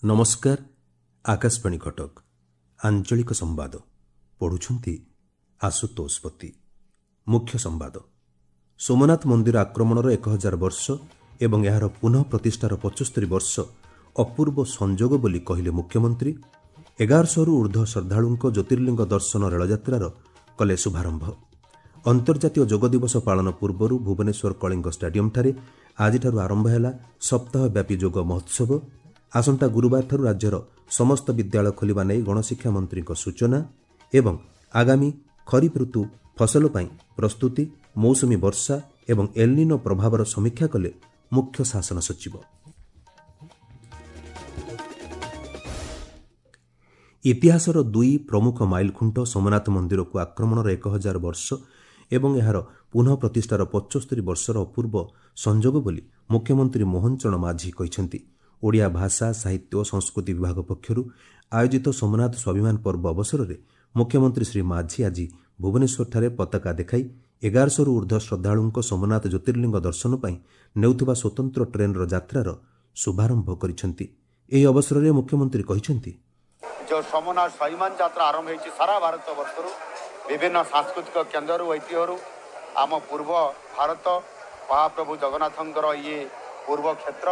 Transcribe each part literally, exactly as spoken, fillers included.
ନମସ୍କାର, ଆକାଶବାଣୀ କଟକ, ଆଞ୍ଚଳିକ ସମ୍ବାଦ ପଢ଼ୁଛନ୍ତି ଆଶୁତୋଷ ପତି। ମୁଖ୍ୟ ସମ୍ବାଦ। ସୋମନାଥ ମନ୍ଦିର ଆକ୍ରମଣର ଏକ ହଜାର ବର୍ଷ ଏବଂ ଏହାର ପୁନଃ ପ୍ରତିଷ୍ଠାର ପଞ୍ଚସ୍ତରୀ ବର୍ଷ ଅପୂର୍ବ ସଂଯୋଗ ବୋଲି କହିଲେ ମୁଖ୍ୟମନ୍ତ୍ରୀ। ଏଗାରଶହରୁ ଉର୍ଦ୍ଧ୍ୱ ଶ୍ରଦ୍ଧାଳୁଙ୍କ ଜ୍ୟୋତିର୍ଲିଙ୍ଗ ଦର୍ଶନ ରେଳଯାତ୍ରାର କଲେ ଶୁଭାରମ୍ଭ। ଅନ୍ତର୍ଜାତୀୟ ଯୋଗ ଦିବସ ପାଳନ ପୂର୍ବରୁ ଭୁବନେଶ୍ୱର କଳିଙ୍ଗ ଷ୍ଟାଡିୟମ୍ଠାରେ ଆଜିଠାରୁ ଆରମ୍ଭ ହେଲା ସପ୍ତାହବ୍ୟାପୀ ଯୋଗ ମହୋତ୍ସବ। ଆସନ୍ତା ଗୁରୁବାରଠାରୁ ରାଜ୍ୟର ସମସ୍ତ ବିଦ୍ୟାଳୟ ଖୋଲିବା ନେଇ ଗଣଶିକ୍ଷା ମନ୍ତ୍ରୀଙ୍କ ସୂଚନା ଏବଂ ଆଗାମୀ ଖରିଫ ଋତୁ ଫସଲ ପାଇଁ ପ୍ରସ୍ତୁତି, ମୌସୁମୀ ବର୍ଷା ଏବଂ ଏଲ୍ନିନୋ ପ୍ରଭାବର ସମୀକ୍ଷା କଲେ ମୁଖ୍ୟ ଶାସନ ସଚିବ। ଇତିହାସର ଦୁଇ ପ୍ରମୁଖ ମାଇଲଖୁଣ୍ଟ ସୋମନାଥ ମନ୍ଦିରକୁ ଆକ୍ରମଣର ଏକ ହଜାର ବର୍ଷ ଏବଂ ଏହାର ପୁନଃ ପ୍ରତିଷ୍ଠାର ପଞ୍ଚସ୍ତରୀ ବର୍ଷର ଅପୂର୍ବ ସଂଯୋଗ ବୋଲି ମୁଖ୍ୟମନ୍ତ୍ରୀ ମୋହନ ଚରଣ ମାଝୀ କହିଛନ୍ତି। ଓଡ଼ିଆ ଭାଷା, ସାହିତ୍ୟ ଓ ସଂସ୍କୃତି ବିଭାଗ ପକ୍ଷରୁ ଆୟୋଜିତ ସୋମନାଥ ସ୍ୱାଭିମାନ ପର୍ବ ଅବସରରେ ମୁଖ୍ୟମନ୍ତ୍ରୀ ଶ୍ରୀ ମାଝୀ ଆଜି ଭୁବନେଶ୍ୱରଠାରେ ପତାକା ଦେଖାଇ ଏଗାରଶହରୁ ଉର୍ଦ୍ଧ୍ୱ ଶ୍ରଦ୍ଧାଳୁଙ୍କ ସୋମନାଥ ଜ୍ୟୋତିର୍ଲିଙ୍ଗ ଦର୍ଶନ ପାଇଁ ନେଉଥିବା ସ୍ୱତନ୍ତ୍ର ଟ୍ରେନ୍ର ଯାତ୍ରାର ଶୁଭାରମ୍ଭ କରିଛନ୍ତି। ଏହି ଅବସରରେ ମୁଖ୍ୟମନ୍ତ୍ରୀ କହିଛନ୍ତି, ଯେଉଁ ସୋମନାଥ ସ୍ୱାଭିମାନ ଯାତ୍ରା ଆରମ୍ଭ ହେଇଛି ସାରା ଭାରତ ବର୍ଷରୁ ବିଭିନ୍ନ ସାଂସ୍କୃତିକ କେନ୍ଦ୍ରରୁ, ଐତିହ୍ୟରୁ, ଆମ ପୂର୍ବ ଭାରତ ମହାପ୍ରଭୁ ଜଗନ୍ନାଥଙ୍କର ଇଏ ପୂର୍ବ କ୍ଷେତ୍ର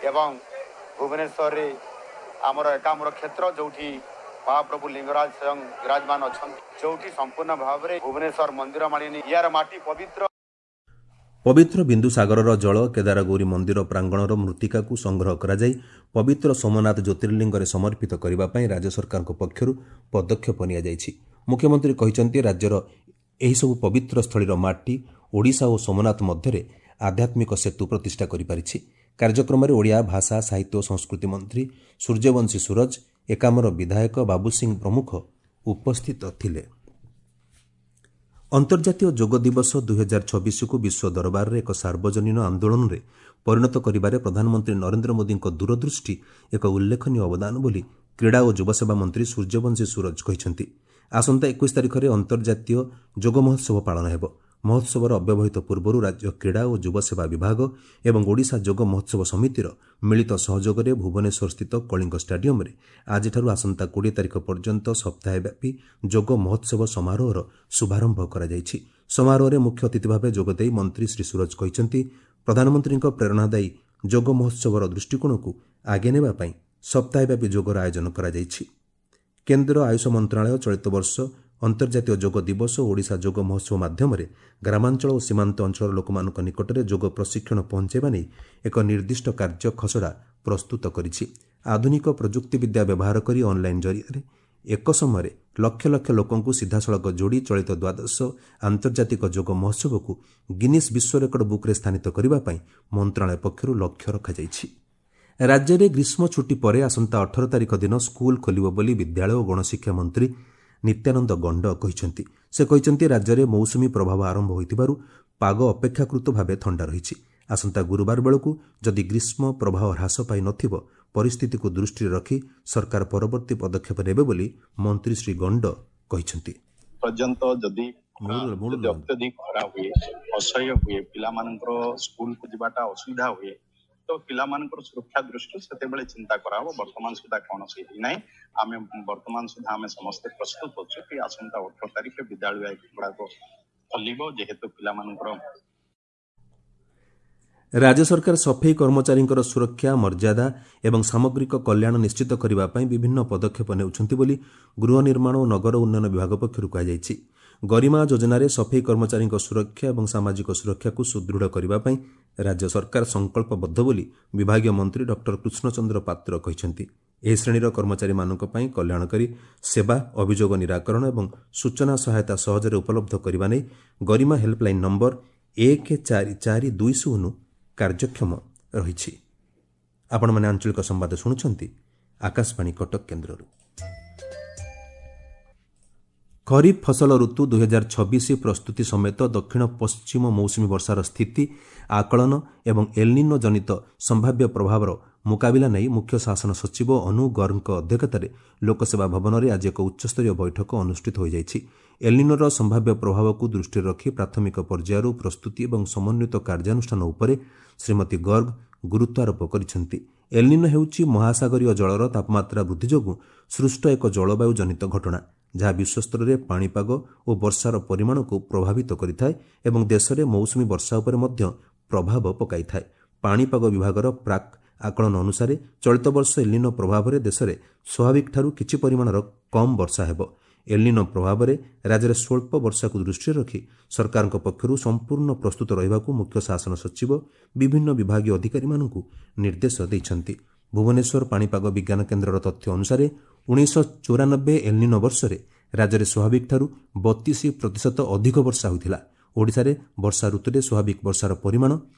ଏବଂ ଭୁବନେଶ୍ୱରରେ ଆମର ଏକାମ୍ର କ୍ଷେତ୍ର ଯେଉଁଠି ମହାପ୍ରଭୁ ଲିଙ୍ଗରାଜ ସ୍ୱୟଂ ବିରାଜମାନ ଅଛନ୍ତି, ଯେଉଁଠି ସମ୍ପୂର୍ଣ୍ଣ ଭାବରେ ଭୁବନେଶ୍ୱର ମନ୍ଦିର ମାଳିନୀ, ୟାର ମାଟି ପବିତ୍ର। ପବିତ୍ର ବିନ୍ଦୁସାଗରର ଜଳ କେଦାରଗୌରୀ ମନ୍ଦିର ପ୍ରାଙ୍ଗଣର ମୃତ୍ତିକାକୁ ସଂଗ୍ରହ କରାଯାଇ ପବିତ୍ର ସୋମନାଥ ଜ୍ୟୋତିର୍ଲିଙ୍ଗରେ ସମର୍ପିତ କରିବା ପାଇଁ ରାଜ୍ୟ ସରକାରଙ୍କ ପକ୍ଷରୁ ପଦକ୍ଷେପ ନିଆଯାଇଛି। ମୁଖ୍ୟମନ୍ତ୍ରୀ କହିଛନ୍ତି, ରାଜ୍ୟର ଏହିସବୁ ପବିତ୍ର ସ୍ଥଳୀର ମାଟି ଓଡ଼ିଶା ଓ ସୋମନାଥ ମଧ୍ୟରେ ଆଧ୍ୟାତ୍ମିକ ସେତୁ ପ୍ରତିଷ୍ଠା କରିପାରିଛି। କାର୍ଯ୍ୟକ୍ରମରେ ଓଡ଼ିଆ ଭାଷା, ସାହିତ୍ୟ ଓ ସଂସ୍କୃତି ମନ୍ତ୍ରୀ ସୂର୍ଯ୍ୟବଂଶୀ ସୂରଜ, ଏକାମ୍ର ବିଧାୟକ ବାବୁ ସିଂ ପ୍ରମୁଖ ଉପସ୍ଥିତ ଥିଲେ। ଅନ୍ତର୍ଜାତୀୟ ଯୋଗ ଦିବସ ଦୁଇହଜାର ଛବିଶକୁ ବିଶ୍ୱ ଦରବାରରେ ଏକ ସାର୍ବଜନୀନ ଆନ୍ଦୋଳନରେ ପରିଣତ କରିବାରେ ପ୍ରଧାନମନ୍ତ୍ରୀ ନରେନ୍ଦ୍ର ମୋଦିଙ୍କ ଦୂରଦୃଷ୍ଟି ଏକ ଉଲ୍ଲେଖନୀୟ ଅବଦାନ ବୋଲି କ୍ରୀଡ଼ା ଓ ଯୁବସେବା ମନ୍ତ୍ରୀ ସୂର୍ଯ୍ୟବଂଶୀ ସୂରଜ କହିଛନ୍ତି। ଆସନ୍ତା ଏକୋଇଶ ତାରିଖରେ ଅନ୍ତର୍ଜାତୀୟ ଯୋଗ ମହୋତ୍ସବ ପାଳନ ହେବ। ମହୋତ୍ସବର ଅବ୍ୟବହିତ ପୂର୍ବରୁ ରାଜ୍ୟ କ୍ରୀଡ଼ା ଓ ଯୁବସେବା ବିଭାଗ ଏବଂ ଓଡ଼ିଶା ଯୋଗ ମହୋତ୍ସବ ସମିତିର ମିଳିତ ସହଯୋଗରେ ଭୁବନେଶ୍ୱରସ୍ଥିତ କଳିଙ୍ଗ ଷ୍ଟାଡିୟମ୍ରେ ଆଜିଠାରୁ ଆସନ୍ତା କୋଡ଼ିଏ ତାରିଖ ପର୍ଯ୍ୟନ୍ତ ସପ୍ତାହବ୍ୟାପୀ ଯୋଗ ମହୋତ୍ସବ ସମାରୋହର ଶୁଭାରମ୍ଭ କରାଯାଇଛି। ସମାରୋହରେ ମୁଖ୍ୟ ଅତିଥି ଭାବେ ଯୋଗଦେଇ ମନ୍ତ୍ରୀ ଶ୍ରୀ ସୂରଜ କହିଛନ୍ତି, ପ୍ରଧାନମନ୍ତ୍ରୀଙ୍କ ପ୍ରେରଣାଦାୟୀ ଯୋଗ ମହୋତ୍ସବର ଦୃଷ୍ଟିକୋଣକୁ ଆଗେଇ ନେବା ପାଇଁ ସପ୍ତାହବ୍ୟାପୀ ଯୋଗର ଆୟୋଜନ କରାଯାଇଛି। କେନ୍ଦ୍ର ଆୟୁଷ ମନ୍ତ୍ରଣାଳୟ ଚଳିତ ବର୍ଷ ଅନ୍ତର୍ଜାତୀୟ ଯୋଗ ଦିବସ ଓ ଓଡ଼ିଶା ଯୋଗ ମହୋତ୍ସବ ମାଧ୍ୟମରେ ଗ୍ରାମାଞ୍ଚଳ ଓ ସୀମାନ୍ତ ଅଞ୍ଚଳର ଲୋକମାନଙ୍କ ନିକଟରେ ଯୋଗ ପ୍ରଶିକ୍ଷଣ ପହଞ୍ଚାଇବା ନେଇ ଏକ ନିର୍ଦ୍ଦିଷ୍ଟ କାର୍ଯ୍ୟ ଖସଡ଼ା ପ୍ରସ୍ତୁତ କରିଛି। ଆଧୁନିକ ପ୍ରଯୁକ୍ତିବିଦ୍ୟା ବ୍ୟବହାର କରି ଅନ୍ଲାଇନ୍ ଜରିଆରେ ଏକ ସମୟରେ ଲକ୍ଷ ଲକ୍ଷ ଲୋକଙ୍କୁ ସିଧାସଳଖ ଯୋଡ଼ି ଚଳିତ ଦ୍ୱାଦଶ ଆନ୍ତର୍ଜାତିକ ଯୋଗ ମହୋତ୍ସବକୁ ଗିନିସ୍ ବିଶ୍ୱ ରେକର୍ଡ ବୁକ୍ରେ ସ୍ଥାନିତ କରିବା ପାଇଁ ମନ୍ତ୍ରଣାଳୟ ପକ୍ଷରୁ ଲକ୍ଷ୍ୟ ରଖାଯାଇଛି। ରାଜ୍ୟରେ ଗ୍ରୀଷ୍ମ ଛୁଟି ପରେ ଆସନ୍ତା ଅଠର ତାରିଖ ଦିନ ସ୍କୁଲ ଖୋଲିବ ବୋଲି ବିଦ୍ୟାଳୟ ଓ ଗଣଶିକ୍ଷା ମନ୍ତ୍ରୀ ନିତ୍ୟାନନ୍ଦ ଗଣ୍ଡ କହିଛନ୍ତି। ସେ କହିଛନ୍ତି, ରାଜ୍ୟରେ ମୌସୁମୀ ପ୍ରଭାବ ଆରମ୍ଭ ହୋଇଥିବାରୁ ପାଗ ଅପେକ୍ଷାକୃତ ଭାବେ ଥଣ୍ଡା ରହିଛି। ଆସନ୍ତା ଗୁରୁବାର ବେଳକୁ ଯଦି ଗ୍ରୀଷ୍ମ ପ୍ରବାହ ହ୍ରାସ ପାଇନଥିବ, ପରିସ୍ଥିତିକୁ ଦୃଷ୍ଟିରେ ରଖି ସରକାର ପରବର୍ତ୍ତୀ ପଦକ୍ଷେପ ନେବେ ବୋଲି ମନ୍ତ୍ରୀ ଶ୍ରୀ ଗଣ୍ଡ କହିଛନ୍ତି। ପର୍ଯ୍ୟନ୍ତ ଯଦି ଯଦି ଅତ୍ୟଧିକ ଖରା ହୁଏ, ଅସହ୍ୟ ହୁଏ, ପିଲାମାନଙ୍କର ସ୍କୁଲକୁ ଯିବାଟା ଅସୁବିଧା ହୁଏ, ତ ପିଲାମାନଙ୍କର ସୁରକ୍ଷା ଦୃଷ୍ଟିରୁ ସେତେବେଳେ ଚିନ୍ତା କରାହବ। ବର୍ତ୍ତମାନ ସୁଦ୍ଧା କୌଣସି ହେଇନାହିଁ। ଆମେ ବର୍ତ୍ତମାନ ସୁଦ୍ଧା ଆମେ ସମସ୍ତେ ପ୍ରସ୍ତୁତ ଅଛୁ କି ଆସନ୍ତା ଅଠର ତାରିଖରେ ବିଦ୍ୟାଳୟ ଗୁଡାକ ଖୋଲିବ, ଯେହେତୁ ପିଲାମାନଙ୍କର। ରାଜ୍ୟ ସରକାର ସଫେଇ କର୍ମଚାରୀଙ୍କର ସୁରକ୍ଷା, ମର୍ଯ୍ୟାଦା ଏବଂ ସାମଗ୍ରିକ କଲ୍ୟାଣ ନିଶ୍ଚିତ କରିବା ପାଇଁ ବିଭିନ୍ନ ପଦକ୍ଷେପ ନେଉଛନ୍ତି ବୋଲି ଗୃହ ନିର୍ମାଣ ଓ ନଗର ଉନ୍ନୟନ ବିଭାଗ ପକ୍ଷରୁ କୁହାଯାଇଛି। ଗରିମା ଯୋଜନାରେ ସଫେଇ କର୍ମଚାରୀଙ୍କ ସୁରକ୍ଷା ଏବଂ ସାମାଜିକ ସୁରକ୍ଷାକୁ ସୁଦୃଢ଼ କରିବା ପାଇଁ ରାଜ୍ୟ ସରକାର ସଂକଳ୍ପବଦ୍ଧ ବୋଲି ବିଭାଗୀୟ ମନ୍ତ୍ରୀ ଡକ୍ଟର କୃଷ୍ଣଚନ୍ଦ୍ର ପାତ୍ର କହିଛନ୍ତି। ଏହି ଶ୍ରେଣୀର କର୍ମଚାରୀମାନଙ୍କ ପାଇଁ କଲ୍ୟାଣକାରୀ ସେବା, ଅଭିଯୋଗ ନିରାକରଣ ଏବଂ ସୂଚନା ସହାୟତା ସହଜରେ ଉପଲବ୍ଧ କରିବା ନେଇ ଗରିମା ହେଲ୍ପଲାଇନ୍ ନମ୍ବର ଏକ ଚାରି ଚାରି ଦୁଇ ଶୂନ କାର୍ଯ୍ୟକ୍ଷମ ରହିଛି। ଆପଣମାନେ ଆଞ୍ଚଳିକ ସମ୍ବାଦ ଶୁଣୁଛନ୍ତି ଆକାଶବାଣୀ କଟକ କେନ୍ଦ୍ରରୁ। ଖରିଫ ଫସଲ ଋତୁ ଦୁଇହଜାର ଛବିଶ ପ୍ରସ୍ତୁତି ସମେତ ଦକ୍ଷିଣ ପଶ୍ଚିମ ମୌସୁମୀ ବର୍ଷାର ସ୍ଥିତି ଆକଳନ ଏବଂ ଏଲ୍ନିନୋ ଜନିତ ସମ୍ଭାବ୍ୟ ପ୍ରଭାବର ମୁକାବିଲା ନେଇ ମୁଖ୍ୟ ଶାସନ ସଚିବ ଅନୁ ଗର୍ଗଙ୍କ ଅଧ୍ୟକ୍ଷତାରେ ଲୋକସେବା ଭବନରେ ଆଜି ଏକ ଉଚ୍ଚସ୍ତରୀୟ ବୈଠକ ଅନୁଷ୍ଠିତ ହୋଇଯାଇଛି। ଏଲ୍ନିନୋର ସମ୍ଭାବ୍ୟ ପ୍ରଭାବକୁ ଦୃଷ୍ଟିରେ ରଖି ପ୍ରାଥମିକ ପର୍ଯ୍ୟାୟରୁ ପ୍ରସ୍ତୁତି ଏବଂ ସମନ୍ୱିତ କାର୍ଯ୍ୟାନୁଷ୍ଠାନ ଉପରେ ଶ୍ରୀମତୀ ଗର୍ଗ ଗୁରୁତ୍ୱ ଆରୋପ କରିଛନ୍ତି। ଏଲ୍ନିନୋ ହେଉଛି ମହାସାଗରୀୟ ଜଳର ତାପମାତ୍ରା ବୃଦ୍ଧି ଯୋଗୁଁ ସୃଷ୍ଟ ଏକ ଜଳବାୟୁ ଜନିତ ଘଟଣା, ଯାହା ବିଶ୍ୱସ୍ତରରେ ପାଣିପାଗ ଓ ବର୍ଷାର ପରିମାଣକୁ ପ୍ରଭାବିତ କରିଥାଏ ଏବଂ ଦେଶରେ ମୌସୁମୀ ବର୍ଷା ଉପରେ ମଧ୍ୟ ପ୍ରଭାବ ପକାଇଥାଏ। ପାଣିପାଗ ବିଭାଗର ପ୍ରାକ୍ ଆକଳନ ଅନୁସାରେ ଚଳିତ ବର୍ଷ ଏଲ୍ନିନୋ ପ୍ରଭାବରେ ଦେଶରେ ସ୍ୱାଭାବିକଠାରୁ କିଛି ପରିମାଣର କମ୍ ବର୍ଷା ହେବ। ଏଲ୍ନିନୋ ପ୍ରଭାବରେ ରାଜ୍ୟରେ ସ୍ୱଳ୍ପ ବର୍ଷାକୁ ଦୃଷ୍ଟିରେ ରଖି ସରକାରଙ୍କ ପକ୍ଷରୁ ସମ୍ପୂର୍ଣ୍ଣ ପ୍ରସ୍ତୁତ ରହିବାକୁ ମୁଖ୍ୟ ଶାସନ ସଚିବ ବିଭିନ୍ନ ବିଭାଗୀୟ ଅଧିକାରୀମାନଙ୍କୁ ନିର୍ଦ୍ଦେଶ ଦେଇଛନ୍ତି। ଭୁବନେଶ୍ୱର ପାଣିପାଗ ବିଜ୍ଞାନ କେନ୍ଦ୍ରର ତଥ୍ୟ ଅନୁସାରେ ଉଣେଇଶହ ଚଉରାନବେ ଏଲ୍ନିନୋ ବର୍ଷରେ ରାଜ୍ୟରେ ସ୍ୱାଭାବିକଠାରୁ ବତିଶ ପ୍ରତିଶତ ଅଧିକ ବର୍ଷା ହୋଇଥିଲା। ଓଡ଼ିଶାରେ ବର୍ଷା ଋତୁରେ ସ୍ୱାଭାବିକ ବର୍ଷାର ପରିମାଣ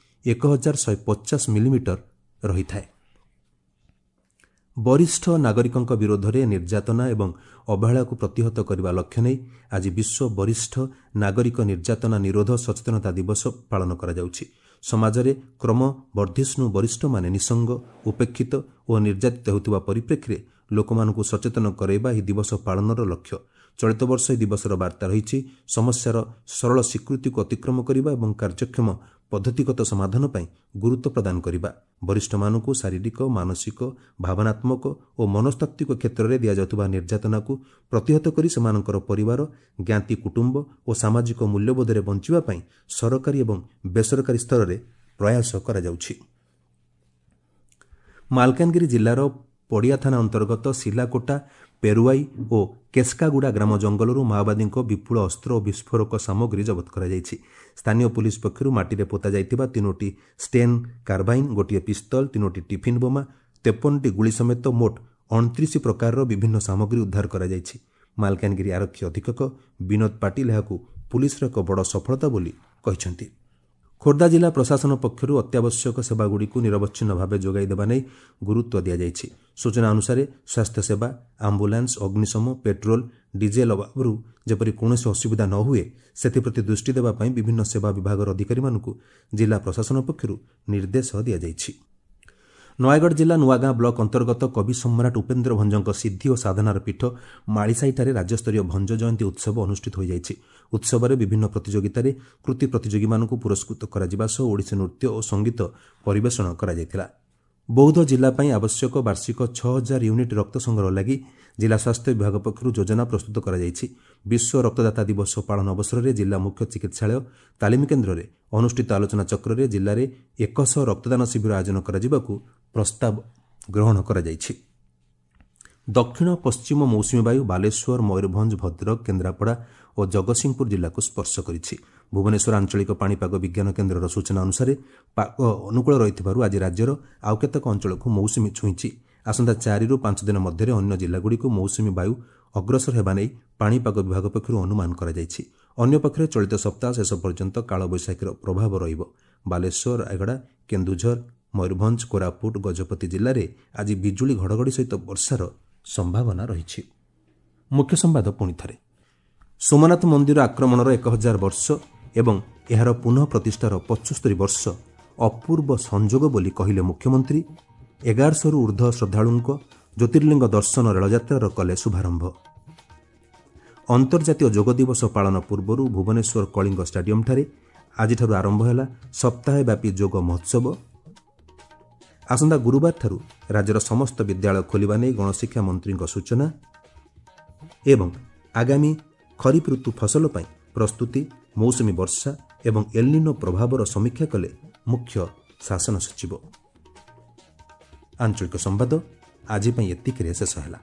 ଏକ ହଜାର ଶହେ ପଚାଶ ମିଲିମିଟର ରହିଥାଏ। ବରିଷ୍ଠ ନାଗରିକଙ୍କ ବିରୋଧରେ ନିର୍ଯାତନା ଏବଂ ଅବହେଳାକୁ ପ୍ରତିହତ କରିବା ଲକ୍ଷ୍ୟ ନେଇ ଆଜି ବିଶ୍ୱ ବରିଷ୍ଠ ନାଗରିକ ନିର୍ଯାତନା ନିରୋଧ ସଚେତନତା ଦିବସ ପାଳନ କରାଯାଉଛି। ସମାଜରେ କ୍ରମବର୍ଦ୍ଧିଷ୍ଣୁ ବରିଷ୍ଠମାନେ ନିଃସଙ୍ଗ, ଉପେକ୍ଷିତ ଓ ନିର୍ଯାତିତ ହେଉଥିବା ପରିପ୍ରେକ୍ଷୀରେ ଲୋକମାନଙ୍କୁ ସଚେତନ କରାଇବା ଏହି ଦିବସ ପାଳନର ଲକ୍ଷ୍ୟ। ଚଳିତ ବର୍ଷ ଏହି ଦିବସର ବାର୍ତ୍ତା ରହିଛି ସମସ୍ୟାର ସରଳ ସ୍ୱୀକୃତିକୁ ଅତିକ୍ରମ କରିବା ଏବଂ କାର୍ଯ୍ୟକ୍ଷମ ପଦ୍ଧତିଗତ ସମାଧାନ ପାଇଁ ଗୁରୁତ୍ୱ ପ୍ରଦାନ କରିବା। ବରିଷ୍ଠମାନଙ୍କୁ ଶାରୀରିକ, ମାନସିକ, ଭାବନାତ୍ମକ ଓ ମନସ୍ତାତ୍ତ୍ୱିକ କ୍ଷେତ୍ରରେ ଦିଆଯାଉଥିବା ନିର୍ଯାତନାକୁ ପ୍ରତିହତ କରି ସେମାନଙ୍କର ପରିବାର, ଜ୍ଞାତି କୁଟୁମ୍ବ ଓ ସାମାଜିକ ମୂଲ୍ୟବୋଧରେ ବଞ୍ଚିବା ପାଇଁ ସରକାରୀ ଏବଂ ବେସରକାରୀ ସ୍ତରରେ ପ୍ରୟାସ କରାଯାଉଛି। ମାଲକାନଗିରି ଜିଲ୍ଲାର ପଡ଼ିଆ ଥାନା ଅନ୍ତର୍ଗତ ସିଲାକୋଟା, ପେରୁଆଇ ଓ କେସ୍କାଗୁଡ଼ା ଗ୍ରାମ ଜଙ୍ଗଲରୁ ମାଓବାଦୀଙ୍କ ବିପୁଳ ଅସ୍ତ୍ର ଓ ବିସ୍ଫୋରକ ସାମଗ୍ରୀ ଜବତ କରାଯାଇଛି। ସ୍ଥାନୀୟ ପୁଲିସ ପକ୍ଷରୁ ମାଟିରେ ପୋତା ଯାଇଥିବା ତିନୋଟି ଷ୍ଟେନ୍ କାର୍ବାଇନ୍, ଗୋଟିଏ ପିସ୍ତଲ, ତିନୋଟି ଟିଫିନ୍ ବୋମା, ତେପନଟି ଗୁଳି ସମେତ ମୋଟ ଅଣତିରିଶ ପ୍ରକାରର ବିଭିନ୍ନ ସାମଗ୍ରୀ ଉଦ୍ଧାର କରାଯାଇଛି। ମାଲକାନଗିରି ଆରକ୍ଷୀ ଅଧୀକ୍ଷକ ବିନୋଦ ପାଟିଲ ଏହାକୁ ପୁଲିସର ଏକ ବଡ଼ ସଫଳତା ବୋଲି କହିଛନ୍ତି। ଖୋର୍ଦ୍ଧା ଜିଲ୍ଲା ପ୍ରଶାସନ ପକ୍ଷରୁ ଅତ୍ୟାବଶ୍ୟକ ସେବାଗୁଡ଼ିକୁ ନିରବଚ୍ଛିନ୍ନ ଭାବେ ଯୋଗାଇ ଦେବା ନେଇ ଗୁରୁତ୍ୱ ଦିଆଯାଇଛି। ସୂଚନା ଅନୁସାରେ ସ୍ୱାସ୍ଥ୍ୟସେବା, ଆମ୍ବୁଲାନ୍ସ, ଅଗ୍ନିଶମ, ପେଟ୍ରୋଲ, ଡିଜେଲ ଅଭାବରୁ ଯେପରି କୌଣସି ଅସୁବିଧା ନ ହୁଏ ସେଥିପ୍ରତି ଦୃଷ୍ଟି ଦେବା ପାଇଁ ବିଭିନ୍ନ ସେବା ବିଭାଗର ଅଧିକାରୀମାନଙ୍କୁ ଜିଲ୍ଲା ପ୍ରଶାସନ ପକ୍ଷରୁ ନିର୍ଦ୍ଦେଶ ଦିଆଯାଇଛି। ନୟାଗଡ଼ ଜିଲ୍ଲା ନୂଆଗାଁ ବ୍ଲକ ଅନ୍ତର୍ଗତ କବି ସମ୍ରାଟ ଉପେନ୍ଦ୍ର ଭଞ୍ଜଙ୍କ ସିଦ୍ଧି ଓ ସାଧନାର ପୀଠ ମାଳିସାହିଠାରେ ରାଜ୍ୟସ୍ତରୀୟ ଭଞ୍ଜ ଜୟନ୍ତୀ ଉତ୍ସବ ଅନୁଷ୍ଠିତ ହୋଇଯାଇଛି। ଉତ୍ସବରେ ବିଭିନ୍ନ ପ୍ରତିଯୋଗିତାରେ କୃତି ପ୍ରତିଯୋଗୀମାନଙ୍କୁ ପୁରସ୍କୃତ କରାଯିବା ସହ ଓଡ଼ିଶୀ ନୃତ୍ୟ ଓ ସଙ୍ଗୀତ ପରିବେଷଣ କରାଯାଇଥିଲା। ବୌଦ୍ଧ ଜିଲ୍ଲା ପାଇଁ ଆବଶ୍ୟକ ବାର୍ଷିକ ଛଅ ହଜାର ୟୁନିଟ୍ ରକ୍ତ ସଂଗ୍ରହ ଲାଗି ଜିଲ୍ଲା ସ୍ୱାସ୍ଥ୍ୟ ବିଭାଗ ପକ୍ଷରୁ ଯୋଜନା ପ୍ରସ୍ତୁତ କରାଯାଇଛି। ବିଶ୍ୱ ରକ୍ତଦାତା ଦିବସ ପାଳନ ଅବସରରେ ଜିଲ୍ଲା ମୁଖ୍ୟ ଚିକିତ୍ସାଳୟ ତାଲିମ କେନ୍ଦ୍ରରେ ଅନୁଷ୍ଠିତ ଆଲୋଚନାଚକ୍ରରେ ଜିଲ୍ଲାରେ ଏକଶହ ରକ୍ତଦାନ ଶିବିର ଆୟୋଜନ କରାଯିବାକୁ ପ୍ରସ୍ତାବ ଗ୍ରହଣ କରାଯାଇଛି। ଦକ୍ଷିଣ ପଶ୍ଚିମ ମୌସୁମୀ ବାୟୁ ବାଲେଶ୍ୱର, ମୟୂରଭଞ୍ଜ, ଭଦ୍ରକ, କେନ୍ଦ୍ରାପଡ଼ା ଓ ଜଗତସିଂହପୁର ଜିଲ୍ଲାକୁ ସ୍ପର୍ଶ କରିଛି। ଭୁବନେଶ୍ୱର ଆଞ୍ଚଳିକ ପାଣିପାଗ ବିଜ୍ଞାନ କେନ୍ଦ୍ରର ସୂଚନା ଅନୁସାରେ ପାଗ ଅନୁକୂଳ ରହିଥିବାରୁ ଆଜି ରାଜ୍ୟର ଆଉ କେତେକ ଅଞ୍ଚଳକୁ ମୌସୁମୀ ଛୁଇଁଛି। ଆସନ୍ତା ଚାରିରୁ ପାଞ୍ଚ ଦିନ ମଧ୍ୟରେ ଅନ୍ୟ ଜିଲ୍ଲାଗୁଡ଼ିକୁ ମୌସୁମୀ ବାୟୁ ଅଗ୍ରସର ହେବା ନେଇ ପାଣିପାଗ ବିଭାଗ ପକ୍ଷରୁ ଅନୁମାନ କରାଯାଇଛି। ଅନ୍ୟପକ୍ଷରେ ଚଳିତ ସପ୍ତାହ ଶେଷ ପର୍ଯ୍ୟନ୍ତ କାଳବୈଶାଖୀର ପ୍ରଭାବ ରହିବ। ବାଲେଶ୍ୱର, ରାୟଗଡ଼ା, କେନ୍ଦୁଝର, ମୟୂରଭଞ୍ଜ, କୋରାପୁଟ, ଗଜପତି ଜିଲ୍ଲାରେ ଆଜି ବିଜୁଳି ଘଡ଼ଘଡ଼ି ସହିତ ବର୍ଷାର ସମ୍ଭାବନା ରହିଛି। ମୁଖ୍ୟ ସମ୍ବାଦ ପୁଣି ଥରେ। ସୋମନାଥ ମନ୍ଦିର ଆକ୍ରମଣର ଏକ ହଜାର ବର୍ଷ ଏବଂ ଏହାର ପୁନଃ ପ୍ରତିଷ୍ଠାର ପଞ୍ଚସ୍ତରୀ ବର୍ଷ ଅପୂର୍ବ ସଂଯୋଗ ବୋଲି କହିଲେ ମୁଖ୍ୟମନ୍ତ୍ରୀ। ଏଗାରଶହରୁ ଉର୍ଦ୍ଧ୍ୱ ଶ୍ରଦ୍ଧାଳୁଙ୍କ ଜ୍ୟୋତିର୍ଲିଙ୍ଗ ଦର୍ଶନ ରେଳଯାତ୍ରାର କଲେ ଶୁଭାରମ୍ଭ। ଅନ୍ତର୍ଜାତୀୟ ଯୋଗ ଦିବସ ପାଳନ ପୂର୍ବରୁ ଭୁବନେଶ୍ୱର କଳିଙ୍ଗ ଷ୍ଟାଡିୟମ୍ଠାରେ ଆଜିଠାରୁ ଆରମ୍ଭ ହେଲା ସପ୍ତାହବ୍ୟାପୀ ଯୋଗ ମହୋତ୍ସବ। ଆସନ୍ତା ଗୁରୁବାରଠାରୁ ରାଜ୍ୟର ସମସ୍ତ ବିଦ୍ୟାଳୟ ଖୋଲିବା ନେଇ ଗଣଶିକ୍ଷା ମନ୍ତ୍ରୀଙ୍କ ସୂଚନା। ଏବଂ ଆଗାମୀ ଖରିଫ ଋତୁ ଫସଲ ପାଇଁ ପ୍ରସ୍ତୁତି, ମୌସୁମୀ ବର୍ଷା ଏବଂ ଏଲ୍ନିନୋ ପ୍ରଭାବର ସମୀକ୍ଷା କଲେ ମୁଖ୍ୟ ଶାସନ ସଚିବ। ଆଞ୍ଚଳିକ ସମ୍ବାଦ ଆଜି ପାଇଁ ଏତିକିରେ ଶେଷ ହେଲା।